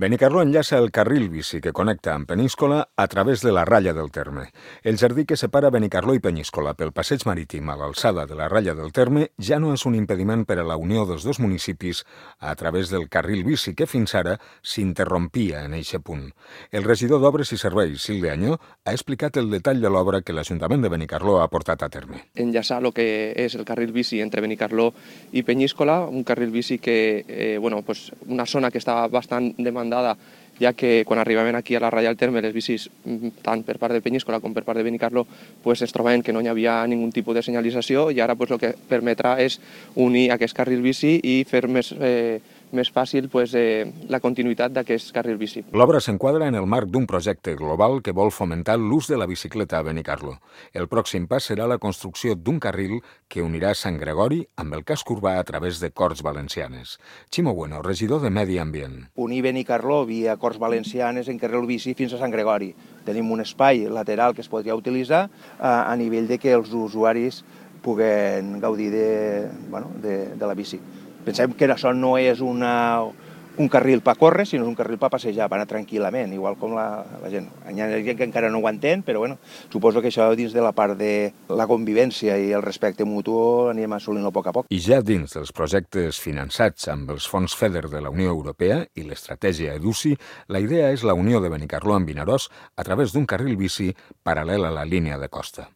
Benicarló enllaça el carril bici que connecta amb Peníscola a través de la ratlla del terme. El jardí que separa Benicarló i Peníscola pel passeig marítim a l'alçada de la ratlla del terme ja no és un impediment per a la unió dels dos municipis a través del carril bici que fins ara s'interrompia en eixe punt. El regidor d'Obres i Serveis, Silvia Añó, ha explicat el detall de l'obra que l'Ajuntament de Benicarló ha portat a terme. Enllaçar el que és el carril bici entre Benicarló i Peníscola, un carril bici que, una zona que estava bastant demandada, ja que quan arribaven aquí a la ratlla del terme les bicis, tant per part de Peníscola com per part de Benicarló, es trobaven que no hi havia ningun tipus de senyalització i ara el que permetrà és unir aquest carril bici i fer més fàcil la continuïtat d'aquest carril bici. L'obra s'enquadra en el marc d'un projecte global que vol fomentar l'ús de la bicicleta a Benicarló. El pròxim pas serà la construcció d'un carril que unirà Sant Gregori amb el casc urbà a través de Corts Valencianes. Ximo Bueno, regidor de Medi Ambient. Unir Benicarló via Corts Valencianes en carril bici fins a Sant Gregori. Tenim un espai lateral que es podria utilitzar a nivell de que els usuaris puguen gaudir de la bici. Pensem que això no és un carril per córrer, sinó un carril per passejar, per anar tranquil·lament, igual com la gent. Hi ha gent que encara no ho entén, però suposo que això dins de la part de la convivència i el respecte mutu anem assolint-ho a poc a poc. I ja dins dels projectes finançats amb els fons FEDER de la Unió Europea i l'estratègia EDUCI, la idea és la unió de Benicarló amb Vinaròs a través d'un carril bici paral·lel a la línia de costa.